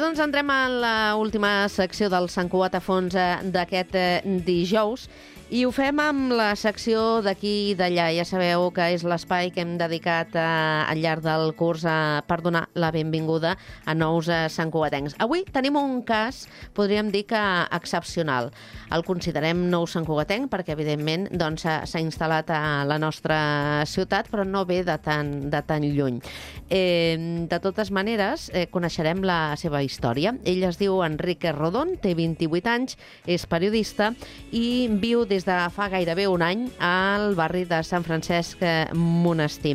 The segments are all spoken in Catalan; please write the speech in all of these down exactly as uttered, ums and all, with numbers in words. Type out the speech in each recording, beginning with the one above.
Nosaltres ens entrem en l'última secció del Sant Cugat a fons d'aquest dijous i ho fem amb la secció d'aquí i d'allà. Ja sabeu que és l'espai que hem dedicat eh, al llarg del curs eh, per donar la benvinguda a nous eh, santcugatencs. Avui tenim un cas, podríem dir que excepcional. El considerem nou santcugatenc perquè, evidentment, doncs, s'ha instal·lat a la nostra ciutat, però no ve de tan, de tan lluny. Eh, de totes maneres, eh, coneixerem la seva història. Ell es diu Enrique Rodón, té vint-i-vuit anys, és periodista i viu des de fa gairebé un any al barri de Sant Francesc Monestir.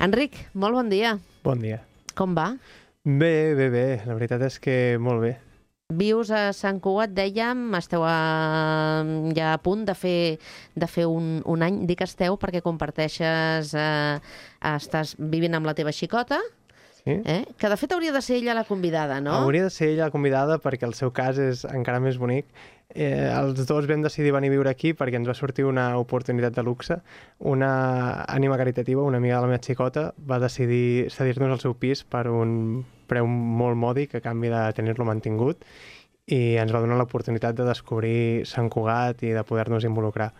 Enric, molt bon dia. Bon dia. Com va? Bé, bé, bé. La veritat és que molt bé. Vius a Sant Cugat, dèiem, esteu a, ja a punt de fer, de fer un, un any. Dic esteu perquè comparteixes, eh, estàs vivint amb la teva xicota, Sí? eh? Que de fet hauria de ser ella la convidada, no? Hauria de ser ella la convidada perquè el seu cas és encara més bonic. Eh, els dos vam decidir venir a viure aquí perquè ens va sortir una oportunitat de luxe. Una ànima caritativa, una amiga de la meva xicota, va decidir cedir-nos el seu pis per un preu molt mòdic a canvi de tenir-lo mantingut i ens va donar l'oportunitat de descobrir Sant Cugat i de poder-nos involucrar.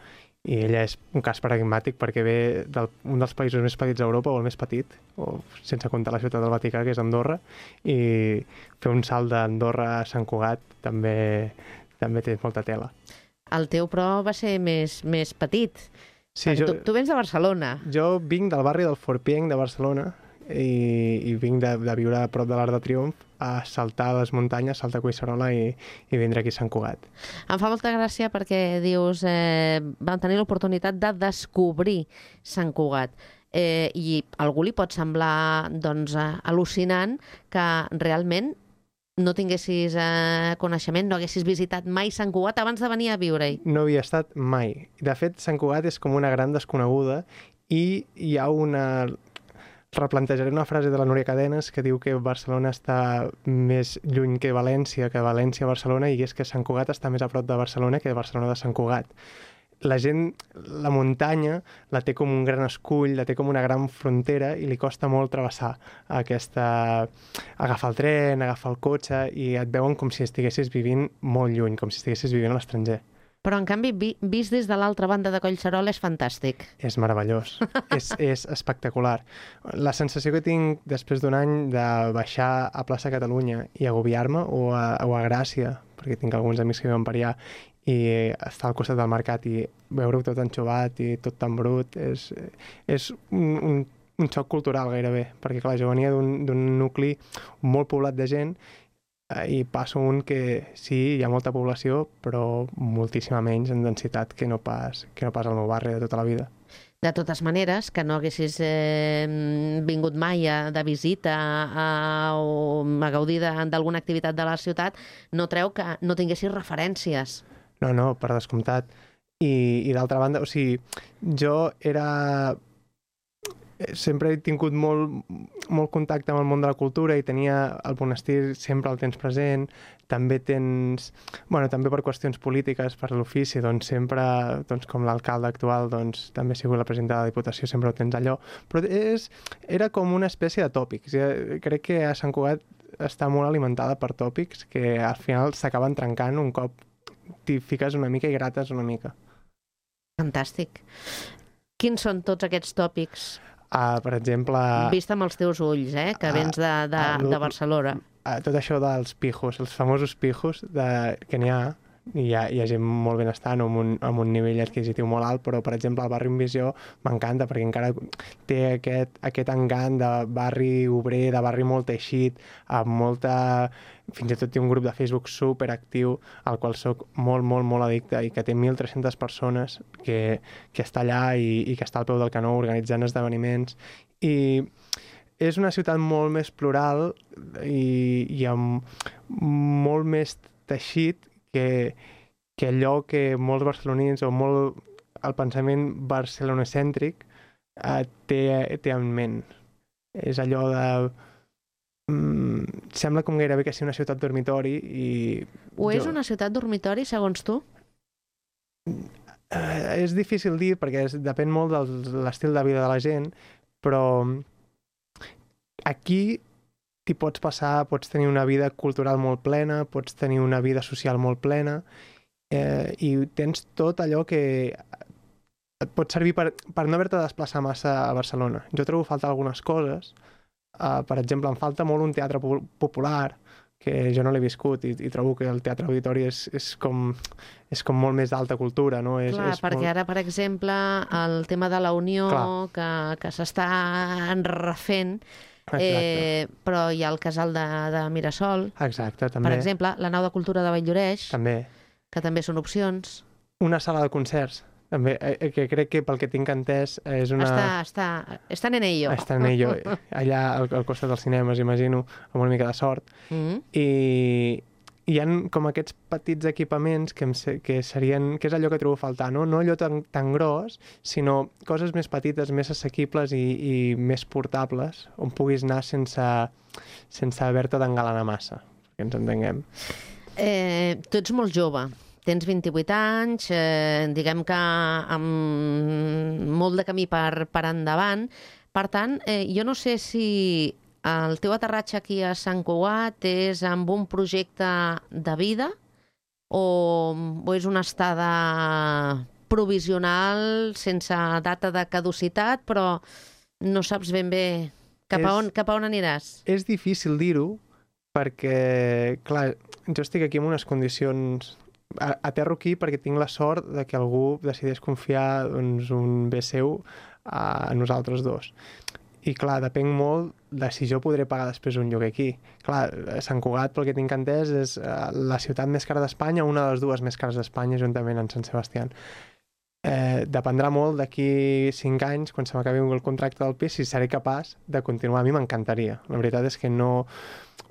I ella és un cas paradigmàtic perquè ve d'un dels països més petits d'Europa, o el més petit, o sense comptar la ciutat del Vaticà, que és Andorra, i fer un salt d'Andorra a Sant Cugat també, també té molta tela. El teu, però, va ser més, més petit. Sí, jo, tu, tu vens de Barcelona. Jo vinc del barri del Forpienc de Barcelona i, i vinc de, de viure a prop de l'Arc de Triomf, a saltar les muntanyes, saltar a Collserola i, i vindre aquí a Sant Cugat. Em fa molta gràcia perquè dius eh, vam tenir l'oportunitat de descobrir Sant Cugat. Eh, I a algú li pot semblar doncs, eh, al·lucinant que realment no tinguessis eh, coneixement, no haguessis visitat mai Sant Cugat abans de venir a viure-hi. No havia estat mai. De fet, Sant Cugat és com una gran desconeguda i hi ha una... Replantejaré una frase de la Núria Cadenes que diu que Barcelona està més lluny que València, que València a Barcelona, i és que Sant Cugat està més a prop de Barcelona que Barcelona de Sant Cugat. La gent, la muntanya, la té com un gran escull, la té com una gran frontera i li costa molt travessar aquesta... agafar el tren, agafar el cotxe, i et veuen com si estiguessis vivint molt lluny, com si estiguessis vivint a l'estranger. Però, en canvi, vi, vist des de l'altra banda de Collserola és fantàstic. És meravellós, és, és espectacular. La sensació que tinc després d'un any de baixar a plaça Catalunya i agobiar-me, o a, o a Gràcia, perquè tinc alguns amics que viuen per allà, i estar al costat del mercat i veure-ho tot enxovat i tot tan brut, és, és un, un, un xoc cultural gairebé, perquè clar, jo venia d'un nucli molt poblat de gent, i passo un que sí, hi ha molta població, però moltíssima menys en densitat que no pas, que no pas al meu barri de tota la vida. De totes maneres, que no haguessis eh, vingut mai a, de visita a, o a gaudir d'alguna activitat de la ciutat, no treu que no tinguessis referències. No, no, per descomptat. I, i d'altra banda, o sigui, jo era... sempre he tingut molt, molt contacte amb el món de la cultura i tenia el monestir sempre el tens present. També tens... Bueno, també per qüestions polítiques, per l'ofici, doncs sempre, doncs, com l'alcalde actual, doncs també ha sigut la presidenta de la Diputació, sempre ho tens allò. Però és, era com una espècie de tòpics. Crec que a Sant Cugat està molt alimentada per tòpics que al final s'acaben trencant un cop t'hi fiques una mica i grates una mica. Fantàstic. Quins són tots aquests tòpics? Uh, per exemple... Vist amb els teus ulls, eh? Que vens de, de, uh, de Barcelona. Uh, tot això dels pijos, els famosos pijos de, que n'hi ha, i hi ha, hi ha gent molt benestant amb un, amb un nivell adquisitiu molt alt, però, per exemple, el barri Envisió m'encanta perquè encara té aquest, aquest engant de barri obrer, de barri molt teixit, amb molta... Fins i tot té un grup de Facebook superactiu al qual soc molt, molt, molt addicte i que té mil tres-centes persones que, que està allà i, i que està al peu del canó organitzant esdeveniments. I és una ciutat molt més plural i, i amb molt més teixit que, que allò que molts barcelonins o molt el pensament barcelonocèntric eh, té, té en ment. És allò de... Mm, sembla com gairebé que sigui una ciutat dormitori i... O és jo... una ciutat dormitori, segons tu? Eh, és difícil dir perquè és, depèn molt de l'estil de vida de la gent, però aquí t'hi pots passar, pots tenir una vida cultural molt plena, pots tenir una vida social molt plena, eh, i tens tot allò que et pot servir per, per no haver-te de desplaçar massa a Barcelona. Jo trobo falta algunes coses. Uh, per exemple, em falta molt un teatre popular, que jo no l'he viscut, i, i trobo que el teatre auditori és, és, com, és com molt més d'alta cultura, no? És, Clar, és perquè molt... ara, per exemple, el tema de la Unió, Clar. que, que s'està refent, eh, però hi ha el casal de, de Mirasol. Exacte, també. Per exemple, la nau de cultura de Valldoreix, també. que també són opcions. Una sala de concerts, també, eh, que crec que pel que tinc entès és una... Està, està, estan en ello. Està en ello, allà al, al costat dels cinemes, imagino, amb una mica de sort. Mm-hmm. I hi ha com aquests petits equipaments que, em, que serien, que és allò que trobo a faltar, no? No allò tan, tan gros, sinó coses més petites, més assequibles i, i més portables, on puguis anar sense, sense haver-te d'engalanar massa, que ens entenguem. Eh, tu ets molt jove. Tens vint-i-vuit anys, eh, diguem que amb molt de camí per, per endavant. Per tant, eh, jo no sé si el teu aterratge aquí a Sant Cugat és amb un projecte de vida o, o és una estada provisional sense data de caducitat, però no saps ben bé cap a on, cap a on aniràs. És difícil dir-ho perquè, clar, jo estic aquí en unes condicions... Aterro aquí perquè tinc la sort de que algú decideix confiar, doncs, un bé seu a nosaltres dos. I, clar, depèn molt de si jo podré pagar després un lloguer aquí. Clar, Sant Cugat, pel que tinc entès, és la ciutat més cara d'Espanya, una de les dues més cares d'Espanya, juntament amb Sant Sebastià. Eh, dependrà molt d'aquí cinc anys, quan se m'acabi el contracte del pis, si seré capaç de continuar. A mi m'encantaria. La veritat és que no...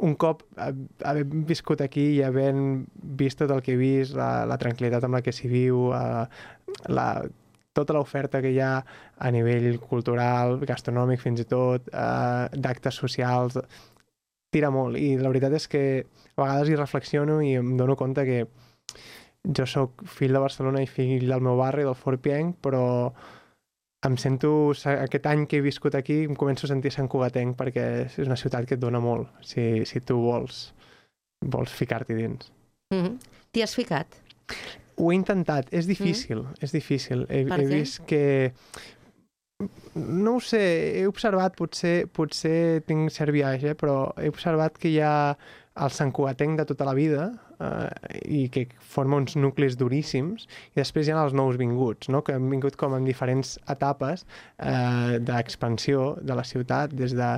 Un cop haver viscut aquí i havent vist tot el que he vist, la, la tranquil·litat amb la que s'hi viu, eh, la, tota l'oferta que hi ha a nivell cultural, gastronòmic fins i tot, eh, d'actes socials, tira molt. I la veritat és que a vegades hi reflexiono i em dono compte que jo sóc fill de Barcelona i fill del meu barri, del Fort Pienc, però em sento, aquest any que he viscut aquí, em començo a sentir Sant Cugatenc perquè és una ciutat que et dona molt, si, si tu vols, vols ficar-t'hi dins. Mm-hmm. T'hi has ficat? Ho he intentat, és difícil, mm. és difícil. He, per he què? vist que... No ho sé, he observat, potser, potser tinc cert viatge, però he observat que hi ha el Sant Cugatenc de tota la vida eh, i que forma uns nuclis duríssims, i després hi ha els nous vinguts, no? Que han vingut com en diferents etapes eh, d'expansió de la ciutat, des de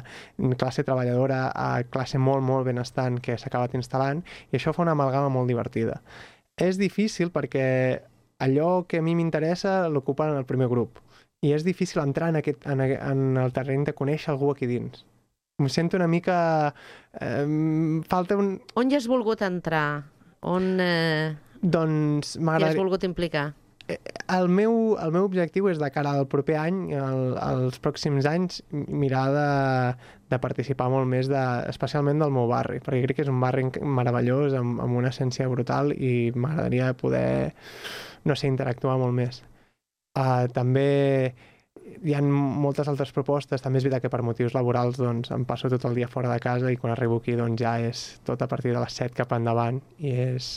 classe treballadora a classe molt, molt benestant que s'ha acabat instal·lant, i això fa una amalgama molt divertida. És difícil perquè allò que a mi m'interessa l'ocupen en el primer grup, i és difícil entrar en, aquest, en, en el terreny de conèixer algú aquí dins. Em sento una mica... Eh, falta un... On hi has volgut entrar? On eh, doncs t'hi has volgut implicar? El meu, el meu objectiu és de cara al proper any, el, als pròxims anys, mirar de, de participar molt més, de, especialment del meu barri, perquè crec que és un barri meravellós, amb, amb una essència brutal, i m'agradaria poder, no sé, interactuar molt més. Uh, també hi ha moltes altres propostes. També és veritat que per motius laborals doncs, em passo tot el dia fora de casa, i quan arribo aquí doncs, ja és tot a partir de les set cap endavant, i és,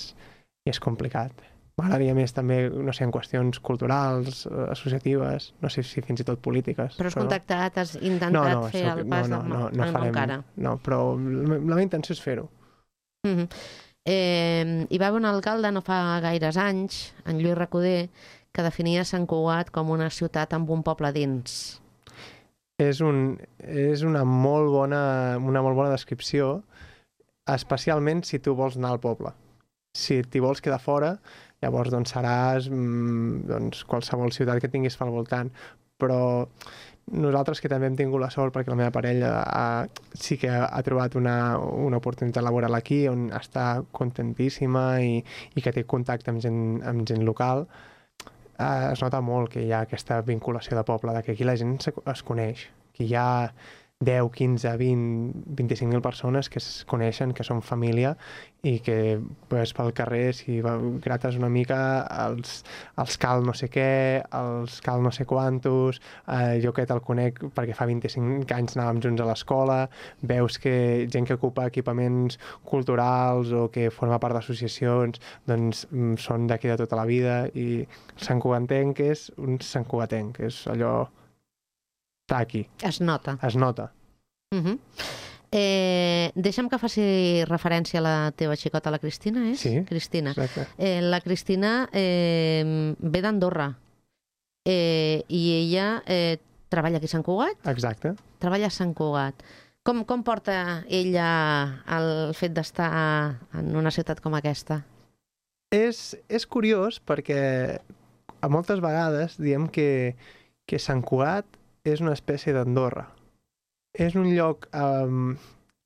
i és complicat. M'agradaria més també, no sé, en qüestions culturals, associatives, no sé si fins i tot polítiques. Però has però contactat, has intentat no, no, fer soc, el pas no, no, no, no, no farem, encara? No, però la meva intenció és fer-ho. Mm-hmm. eh, hi va haver un alcalde no fa gaires anys, en Lluís Recoder, que definia Sant Cugat com una ciutat amb un poble dins. És, un, és una, molt bona, una molt bona descripció, especialment si tu vols anar al poble. Si t'hi vols quedar fora, llavors doncs, seràs doncs, qualsevol ciutat que tinguis al voltant. Però nosaltres, que també hem tingut la sort, perquè la meva parella ha, sí que ha trobat una, una oportunitat laboral aquí, on està contentíssima i, i que té contacte amb gent, amb gent local, Uh, es nota molt que hi ha aquesta vinculació de poble, de que aquí la gent es coneix, que hi ha, deu, quinze, vint, vint-i-cinc mil persones que es coneixen, que són família i que pues, pel carrer, si grates una mica, els, els cal no sé què, els cal no sé quantos, eh, jo que te'l conec perquè fa vint-i-cinc anys anàvem junts a l'escola, veus que gent que ocupa equipaments culturals o que forma part d'associacions, doncs són d'aquí de tota la vida i el santcugatenc és un santcugatenc, és allò... està aquí. Es nota. Es nota. Uh -huh. eh, deixa'm que faci referència a la teva xicota, la Cristina, és? Sí, Cristina. Exacte. Eh, la Cristina eh, ve d'Andorra eh, i ella eh, treballa aquí a Sant Cugat? Exacte. Treballa a Sant Cugat. Com, com porta ella el fet d'estar en una ciutat com aquesta? És, és curiós perquè a moltes vegades diem que, que Sant Cugat és una espècie d'Andorra. És un lloc... Um...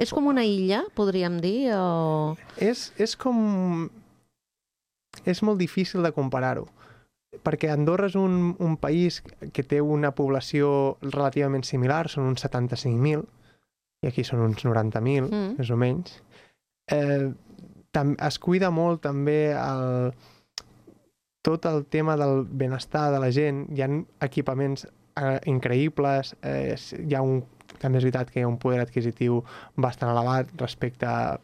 És com una illa, podríem dir, o...? És, és com... És molt difícil de comparar-ho, perquè Andorra és un, un país que té una població relativament similar, són uns setanta-cinc mil, i aquí són uns noranta mil, mm. més o menys. Eh, tam, es cuida molt també el, tot el tema del benestar de la gent. Hi ha equipaments eh, increïbles, eh, hi ha un, també és veritat que hi ha un poder adquisitiu bastant elevat respecte a,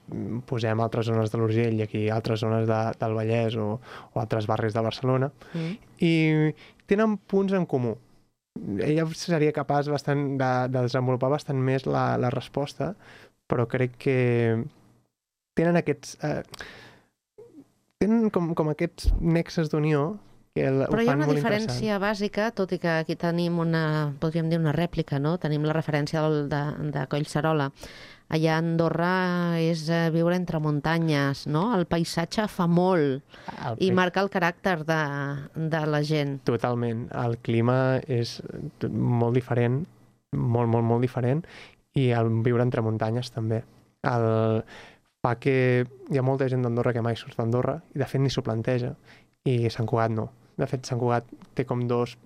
posem, altres zones de l'Urgell i aquí altres zones de, del Vallès o, o altres barris de Barcelona, mm. i tenen punts en comú. Ella seria capaç bastant de, de desenvolupar bastant més la, la resposta, però crec que tenen aquests... Eh, tenen com, com aquests nexes d'unió que el, però ho hi ha fan una molt diferència bàsica, tot i que aquí tenim una, podríem dir una rèplica, no? Tenim la referència del, de, de Collserola. Allà a Andorra és viure entre muntanyes, no? El paisatge fa molt el i marca el caràcter de, de la gent. Totalment. El clima és molt diferent, molt, molt, molt diferent, i el viure entre muntanyes també. El... fa que hi ha molta gent d'Andorra que mai surt d'Andorra i de fet ni s'ho planteja, i Sant Cugat no. De fet, Sant Cugat té com dos...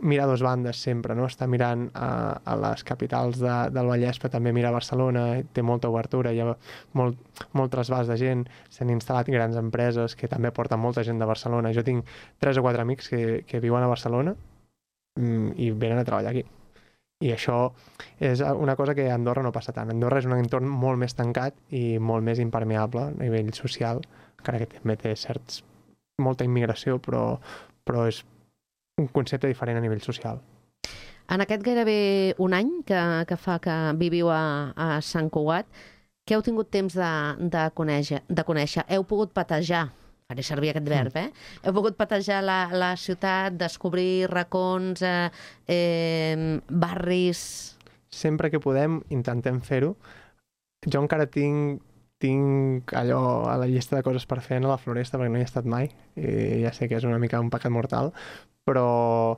mira dos bandes sempre, no? Està mirant a, a les capitals de, del Vallès, però també mira a Barcelona, té molta obertura, hi ha molt, molt trasbàs de gent, s'han instal·lat grans empreses que també porten molta gent de Barcelona. Jo tinc tres o quatre amics que, que viuen a Barcelona mm, i venen a treballar aquí. I això és una cosa que a Andorra no passa tant. Andorra és un entorn molt més tancat i molt més impermeable a nivell social, encara que també té certs, molta immigració, però, però és un concepte diferent a nivell social. En aquest gairebé un any que, que fa que viviu a, a Sant Cugat, què heu tingut temps de, de, conèixer, de conèixer? Heu pogut patejar, faré servir aquest verb, eh? Heu pogut patejar la, la ciutat, descobrir racons, eh, eh, barris... Sempre que podem intentem fer-ho. Jo encara tinc, tinc allò a la llista de coses per fer a la Floresta, perquè no hi he estat mai, i ja sé que és una mica un pecat mortal, però,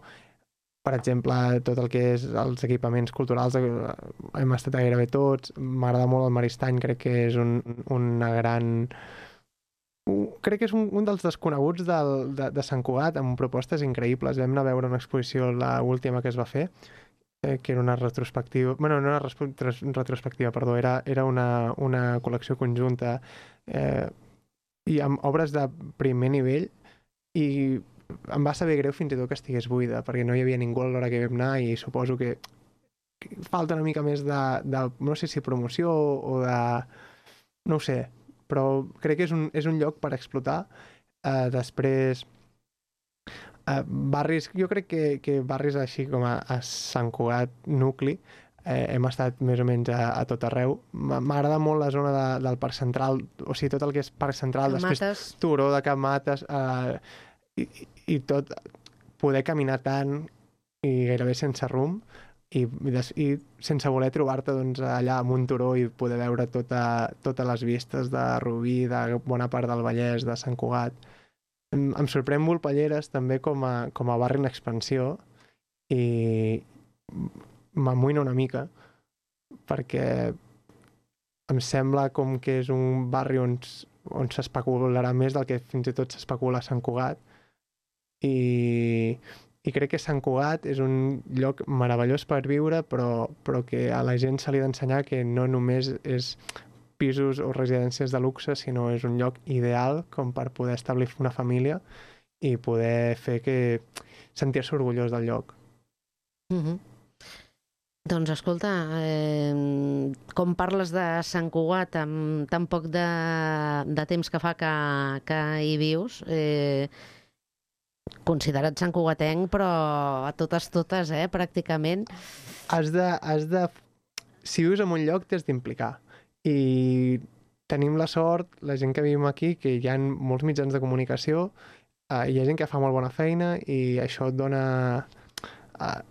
per exemple, tot el que és els equipaments culturals hem estat a gairebé tots. M'agrada molt el Maristany, crec que és un, una gran... Crec que és un, un dels desconeguts del, de, de Sant Cugat, amb propostes increïbles. Vam anar a veure una exposició, l'última que es va fer, eh, que era una retrospectiva... Bueno, no era retrospectiva, perdó, era, era una, una col·lecció conjunta eh, i amb obres de primer nivell, i em va saber greu fins i tot que estigués buida, perquè no hi havia ningú a l'hora que vam anar, i suposo que, que falta una mica més de, de, no sé si promoció o de... no ho sé, però crec que és un, és un lloc per explotar. Uh, després, uh, barris, jo crec que, que barris així com a, a Sant Cugat nucli, eh, hem estat més o menys a, a tot arreu. M'agrada molt la zona de, del Parc Central, o sigui, tot el que és Parc Central, Cap després Mates. Turó de Cap Mates, uh, i, i tot, poder caminar tant i gairebé sense rumb, i, i, des, i sense voler trobar-te doncs, allà amb un turó i poder veure tota, totes les vistes de Rubí, de bona part del Vallès, de Sant Cugat. Em, em sorprèn Volpelleres també com a, com a barri en expansió, i m'amoïna una mica perquè em sembla com que és un barri on, on s'especularà més del que fins i tot s'especula a Sant Cugat, i i crec que Sant Cugat és un lloc meravellós per viure, però, però que a la gent se li ha d'ensenyar que no només és pisos o residències de luxe, sinó és un lloc ideal com per poder establir una família i poder fer que sentir-se orgullós del lloc. Mm-hmm. Doncs escolta, eh, com parles de Sant Cugat amb tan poc de, de temps que fa que, que hi vius, eh, considerat Sant Cugatenc, però a totes, totes, eh, pràcticament. Has de, has de... Si vius en un lloc, t'has d'implicar. I tenim la sort, la gent que vivim aquí, que hi ha molts mitjans de comunicació, eh, hi ha gent que fa molt bona feina i això et dona... Eh,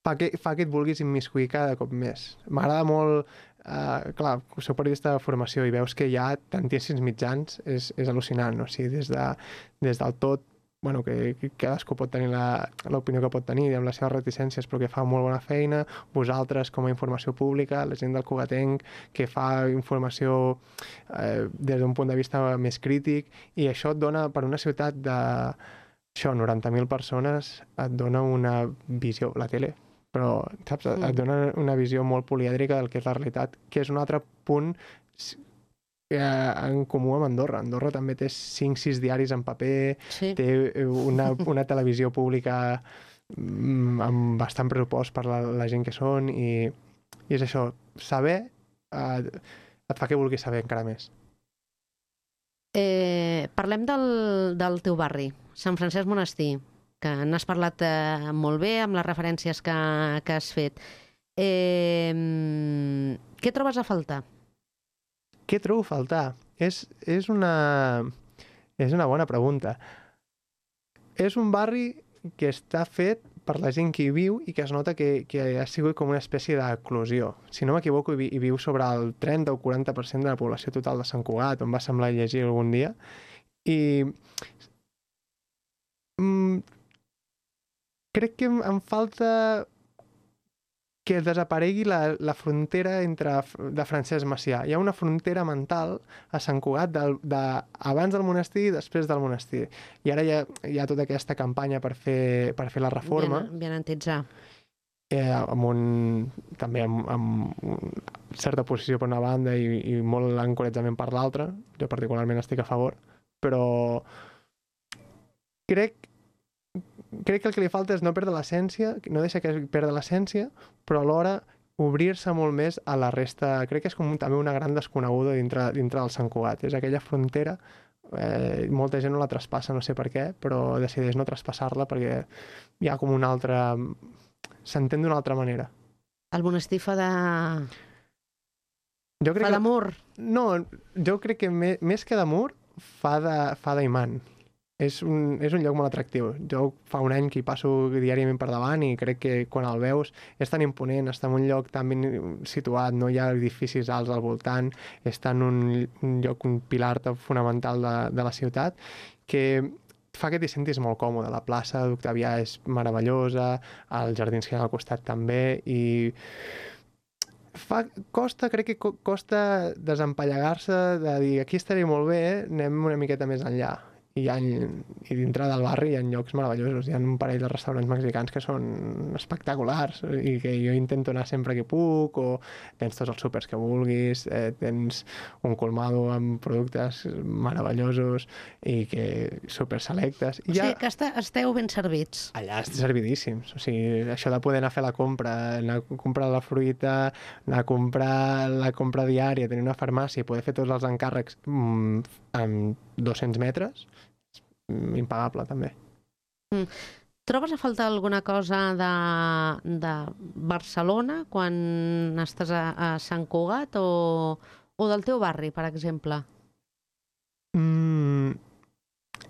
fa que, fa que et vulguis immiscuir cada cop més. M'agrada molt... Uh, clar, soc periodista de formació i veus que hi ha tantíssims mitjans, és, és al·lucinant, no? O sigui, des, de, des del tot, bueno, que, que cadascú pot tenir l'opinió que pot tenir amb les seves reticències, però que fa molt bona feina, vosaltres com a informació pública, la gent del Cugatenc que fa informació eh, des d'un punt de vista més crític, i això et dona, per una ciutat de això, noranta mil persones, et dona una visió, la tele, però, saps, mm. et dona una visió molt polièdrica del que és la realitat, que és un altre punt en comú amb Andorra. Andorra també té cinc sis diaris en paper, sí. Té una, una televisió pública amb bastant pressupost per la, la gent que són, i, i és això, saber eh, et fa que vulguis saber encara més. Eh, parlem del, del teu barri, Sant Francesc Monestir, que n'has parlat eh, molt bé amb les referències que, que has fet. Eh, què trobes a faltar? Què trobo a faltar? És, és, una, és una bona pregunta. És un barri que està fet per la gent que hi viu i que es nota que, que ha sigut com una espècie d'eclosió. Si no m'equivoco, hi, hi viu sobre el trenta o quaranta per cent de la població total de Sant Cugat, on va semblar llegir algun dia. I mm, crec que em, em falta que desaparegui la, la frontera entre de Francesc Macià. Hi ha una frontera mental a Sant Cugat de, de, abans del monestir i després del monestir. I ara hi ha, hi ha tota aquesta campanya per fer, per fer la reforma. Bien entitzar. Eh, amb un, també amb, amb certa posició per una banda i, i molt encoratjament per l'altra. Jo particularment estic a favor. Però crec crec que el que li falta és no perdre l'essència, no deixar que perdre l'essència, però alhora obrir-se molt més a la resta. Crec que és com també una gran desconeguda dintre, dintre del Sant Cugat. És aquella frontera, eh, molta gent no la traspassa, no sé per què, però decideix no traspassar-la perquè hi ha com una altra... s'entén d'una altra manera. El monestir fa de... Jo crec fa d'amor? Que... No, jo crec que més, més que d'amor fa de, fa d'imant. És un, és un lloc molt atractiu. Jo fa un any que hi passo diàriament per davant i crec que quan el veus és tan imponent, està en un lloc tan ben situat, no hi ha edificis alts al voltant, està en un, un lloc, un pilar fonamental de, de la ciutat, que fa que t'hi sentis molt còmode. La plaça d'Octavià és meravellosa, els jardins que hi ha al costat també, i fa, costa, crec que costa desempallegar-se de dir aquí estaré molt bé, anem una miqueta més enllà. I, ha, i dintre del barri hi ha llocs meravellosos. Hi ha un parell de restaurants mexicans que són espectaculars i que jo intento anar sempre que puc, o tens tots els súpers que vulguis, eh, tens un colmado amb productes meravellosos i que super selectes. I o sigui ja... que està, esteu ben servits. Allà estem servidíssims. O sigui, això de poder anar a fer la compra, anar a comprar la fruita, anar a comprar la compra diària, tenir una farmàcia i poder fer tots els encàrrecs mm, amb dos-cents metres, impagable també. Mm. Trobes a faltar alguna cosa de, de Barcelona quan estàs a, a Sant Cugat o, o del teu barri, per exemple? Mm,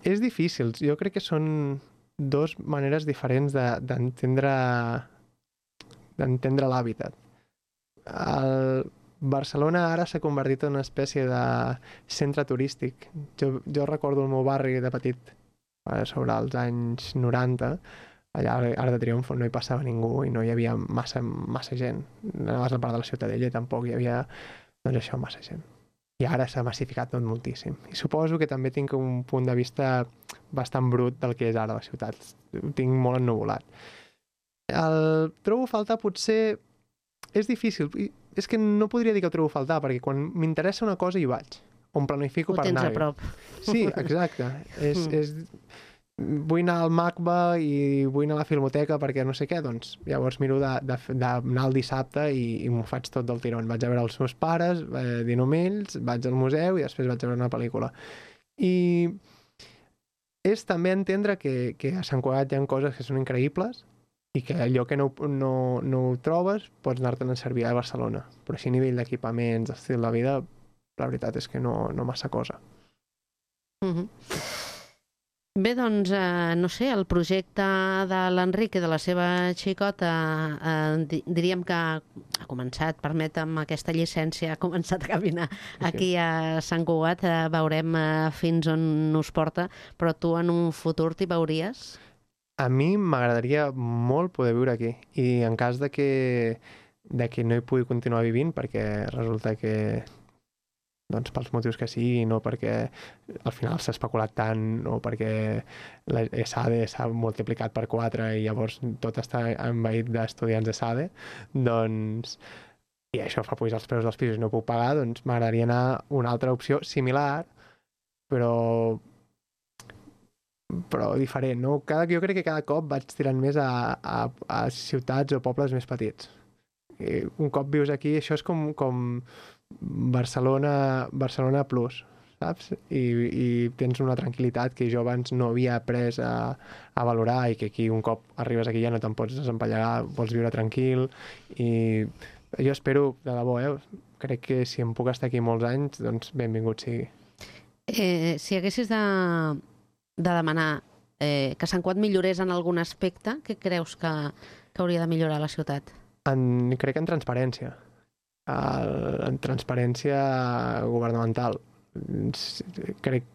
és difícil. Jo crec que són dos maneres diferents d'entendre de, d'entendre l'hàbitat. El Barcelona ara s'ha convertit en una espècie de centre turístic. Jo, jo recordo el meu barri de petit, sobre els anys noranta, allà a Arc de Triomf no hi passava ningú i no hi havia massa, massa gent. Anaves a la part de la Ciutadella i tampoc hi havia, doncs això, massa gent. i ara s'ha massificat tot moltíssim. I suposo que també tinc un punt de vista bastant brut del que és ara la ciutat. Ho tinc molt ennuvolat. El trobo a faltar potser... És difícil. És que no podria dir que ho trobo a faltar, perquè quan m'interessa una cosa hi vaig. On planifico ho per anar-hi. Ho tens a prop. Sí, exacte. és, Mm. és... Vull anar al MACBA i vull anar a la Filmoteca perquè no sé què, doncs llavors miro d'anar el dissabte i, i m'ho faig tot del tirón. Vaig a veure els meus pares, eh, dino amb ells, vaig al museu i després vaig a veure una pel·lícula. I és també entendre que, que a Sant Cugat hi ha coses que són increïbles i que allò que no, no, no ho trobes pots anar-te'n a servir a Barcelona. Però així a nivell d'equipaments, estil de vida, la veritat és que no, no massa cosa. Mhm. Bé, doncs, eh, no sé, el projecte de l'Enric i de la seva xicota eh, di diríem que ha començat, permetem aquesta llicència, ha començat a caminar aquí a Sant Cugat, eh, veurem eh, fins on us porta, però tu en un futur t'hi veuries? A mi m'agradaria molt poder viure aquí i en cas de que, de que no hi pugui continuar vivint perquè resulta que doncs pels motius que sigui, no perquè al final s'ha especulat tant o perquè la ESADE s'ha multiplicat per quatre i llavors tot està envaït d'estudiants d'ESADE, doncs i això fa pujar els preus dels pisos i no puc pagar, doncs m'agradaria anar a una altra opció similar, però però diferent, no? Cada, jo crec que cada cop vaig tirant més a, a, a ciutats o pobles més petits. I un cop vius aquí, això és com, com Barcelona, Barcelona Plus, saps? I, i tens una tranquil·litat que jo abans no havia après a, a valorar i que aquí un cop arribes aquí ja no te'n pots desempallegar, vols viure tranquil i jo espero, de debò, eh? Crec que si em puc estar aquí molts anys, doncs benvingut sigui. Eh, si haguessis de, de demanar eh, que Sant Cugat millorés en algun aspecte, què creus que, que hauria de millorar la ciutat? En, crec que en transparència. El, en transparència governamental. Crec,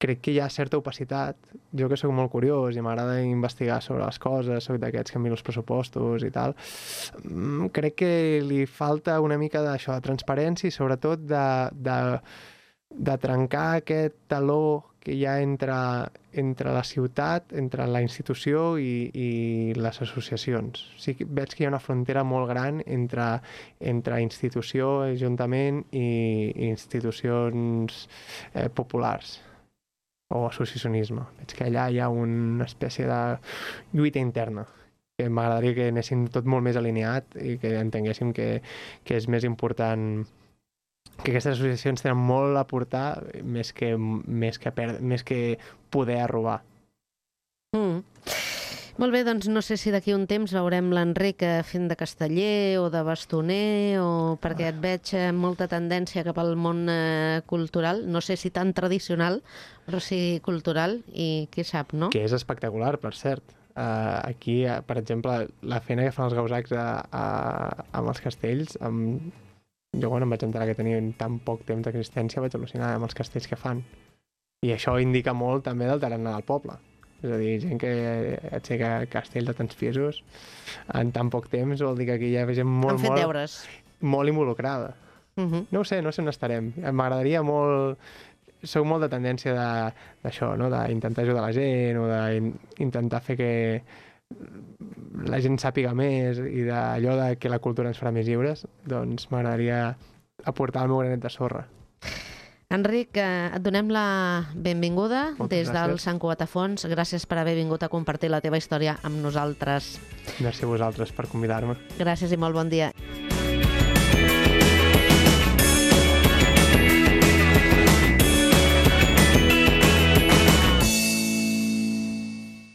crec que hi ha certa opacitat. Jo que sóc molt curiós i m'agrada investigar sobre les coses, sóc d'aquests que miro els pressupostos i tal, crec que li falta una mica d'això, de transparència i sobretot de, de, de trencar aquest taló que hi ha entre, entre la ciutat, entre la institució i, i les associacions. Sí que veig que hi ha una frontera molt gran entre, entre institució, ajuntament i institucions eh, populars o associacionisme. Veig que allà hi ha una espècie de lluita interna que m'agradaria que anéssim tot molt més alineat i que entenguéssim que, que és més important que aquestes associacions tenen molt a portar més que, més que, per, més que poder robar. Mm. Molt bé, doncs no sé si d'aquí un temps veurem l'Enric fent de casteller o de bastoner, o perquè et veig molta tendència cap al món eh, cultural, no sé si tan tradicional, però sí cultural, i qui sap, no? Que és espectacular, per cert. Uh, aquí, uh, per exemple, la feina que fan els gausacs a, a, amb els castells, amb jo quan em vaig enterar que tenien tan poc temps d'existència vaig al·lucinar amb els castells que fan. I això indica molt també del tarannà del poble. És a dir, gent que aixeca castells de tants pisos en tan poc temps vol dir que aquí hi ha gent molt, Han fet molt, deures. molt involucrada. Uh -huh. No ho sé, no sé on estarem. M'agradaria molt... Soc molt de tendència d'això, no? D'intentar ajudar la gent o d'intentar fer que la gent sàpiga més i d'allò de que la cultura ens farà més lliures, doncs m'agradaria aportar el meu granet de sorra. Enric, eh, et donem la benvinguda Moltes des del gràcies. Sant Cugat a Fons. Gràcies per haver vingut a compartir la teva història amb nosaltres. Merci a vosaltres per convidar-me. Gràcies i molt bon dia.